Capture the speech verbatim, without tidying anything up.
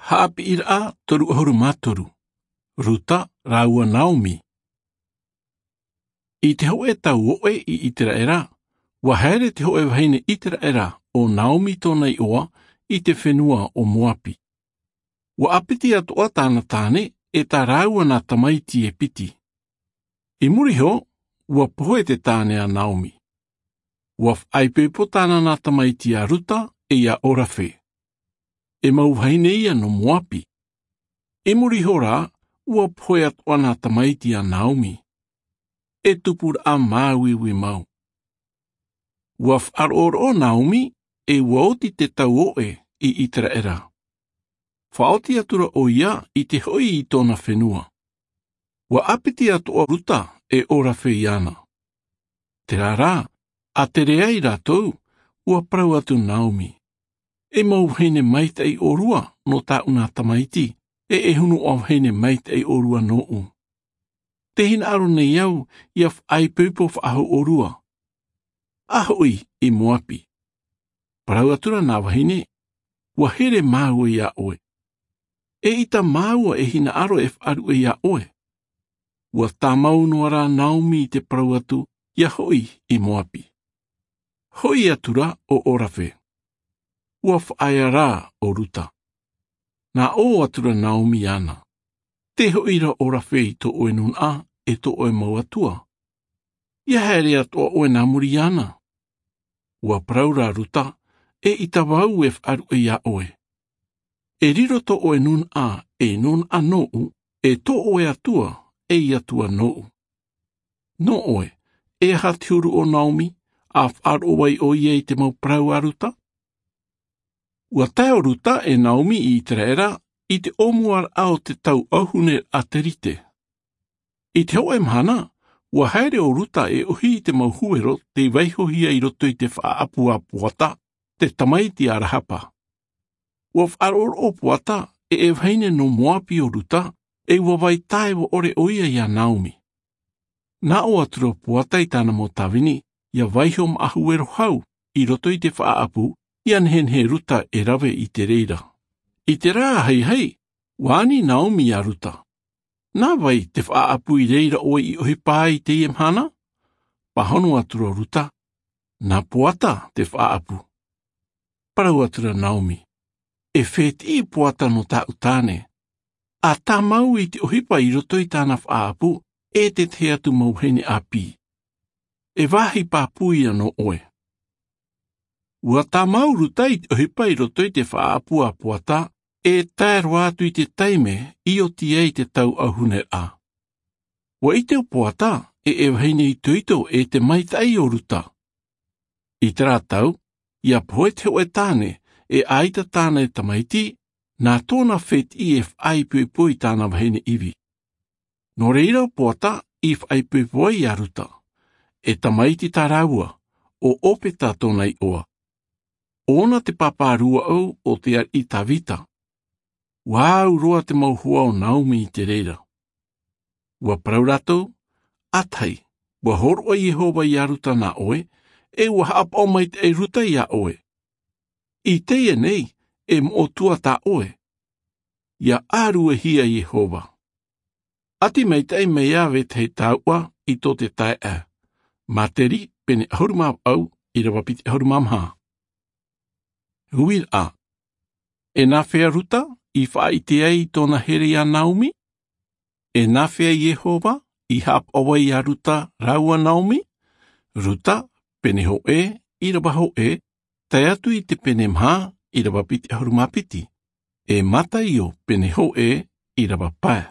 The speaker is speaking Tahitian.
Haʻapiʻiraʻa toru ʻahuru mā toru. Ruta rāua Naomi. I te hōʻē tau oʻe i Iteraʻera, ua haere te hōʻē vahine Iteraʻera, ʻo Naomi tōna iʻoa, i te fenua o Moapi. Ua ʻāpiti atoʻa tāna tāne, e tā rāua nā tamaiti e piti. I muri iho, ua pohe te tāne a Naomi. Ua faʻaipoipo tāna nā tamaiti a Ruta e ia Orafe. E mau vahine ia nō Moapi. I muri iho rā, ua pohe atoʻa nā tamaiti a Naomi. E tupuraʻa māuiui mau. Ua faʻaroʻoroʻo Naomi, e ua oti te tau oʻe i Iteraʻera. Faʻaoti atura ʻoia i te hoʻi i tōna fenua. Ua ʻāpiti atoʻa Ruta e Orafe iāna. Terā rā, a tere ai rātou, ua parau atu Naomi. E mau vahine maitaʻi ʻōrua nō tāʻu nā tamaiti, e e hunuʻa vahine maitaʻi ʻōrua nōʻu. Tē hinaʻaro nei au ia faʻaipoipo faʻahou ʻōrua. A hoʻi i Moapi. Parau atura nā vahine, ua here māua iā ʻoe. E ʻita māua e hinaʻaro e faʻaruʻe iā ʻoe. Ua tāmau noa rā Naomi i te parau atu, ia hoʻi i Moapi. Hoʻi atura ʻo Orafe. Ua faʻaea rā ʻo Ruta. Nā ʻō atura Naomi iāna. Tē hoʻi ra Orafe i tō ʻoe nūnaʻa, e tō ʻoe mau atua. Ia haere atoʻa ʻoe nā muri iāna. Ua parau rā Ruta, e ʻita vau e faʻaruʻe iā ʻoe. E riro tō ʻoe nūnaʻa, e nūnaʻa nōʻu, e tō ʻoe atua, e atua nōʻu. Nō ʻoe, e aha te huru o Naomi, a faʻaroʻo ai ʻoia i te mau parau a Ruta? Ua tae ʻo Ruta e Naomi i Iteraʻera, i te ʻōmuaraʻa o te tau ʻauhune a Terite. I te hōʻē mahana, ua haere ʻo Ruta e ʻohi i te mau huero tei vaihohia i roto i te faʻaʻapu a Poata, te tamaiti a Rahapa. Ua faʻaroʻoroʻo Poata, e e vahine nō Moapi ʻo Ruta, e ua vai taeaʻe ʻore ʻoia iā Naomi. Nā ʻō atura Poata i tāna mau tāvini, ia vaiho maʻa huero hau, i roto i te faʻaʻapu, ia nehenehe Ruta e rave i te reira. I te rā haihai, ua ani Naomi iā Ruta. Nā vai te faʻaʻapu i reira ʻoe i ʻohipa ai i teie mahana? Pāhono atura Ruta, nā Poata te faʻaʻapu. Parau atura Naomi, e fētiʻi Poata nō tāʻu tāne. A tāmau i te ʻohipa i roto i tāna faʻaʻapu, e te tahi atu mau vahine ʻāpī. E vāhi pāpū ia nō ʻoe. Ua tāmau Ruta i te ʻohipa i roto i te faʻaʻapu a Poata, e tae roa atu i te taime, i oti ai te tau ʻauhuneraʻa. Ua ʻite ʻo Poata, e e vahine itoito e te maitaʻi o Ruta. I terā tau, ia pohe te hōʻē tāne, e ʻaita tāna e tamaiti, nā tōna fētiʻi e faʻaipoipo i tāna vahine ivi. Nō reira ʻo Poata i faʻaipoipo ai iā Ruta. E tamaiti tā rāua, ʻo Opeta tōna iʻoa. ʻO ʻōna te pāpā rūaʻau o te ariʻi Tavita. Ua au roa te mau hoa o Naomi i te reira. Ua parau rātou, ʻĀtahi, ua hōroʻa Iehova iā Ruta nā ʻoe, e ua haʻapaʻo maitaʻi Ruta iā ʻoe. I teie nei, e moʻotua tā ʻoe. Ia ʻāruehia Iehova. ʻAti maitaʻi mai ā vetahi taoʻa i tō te taeaʻe. Māteri, pene ʻahuru mā vaʻu, ʻīrava piti ʻahuru mā maha. Uiraʻa. E nāfea Ruta i faʻaʻite ai i tōna here iā Naomi? E nāfea Iehova i haʻapaʻo ai iā Ruta rāua Naomi? Ruta, pene hōʻē, ʻīrava hōʻē, tae atu i te pene maha, ʻīrava piti ʻahuru mā piti. E Mataio, pene hōʻē, ʻīrava pae.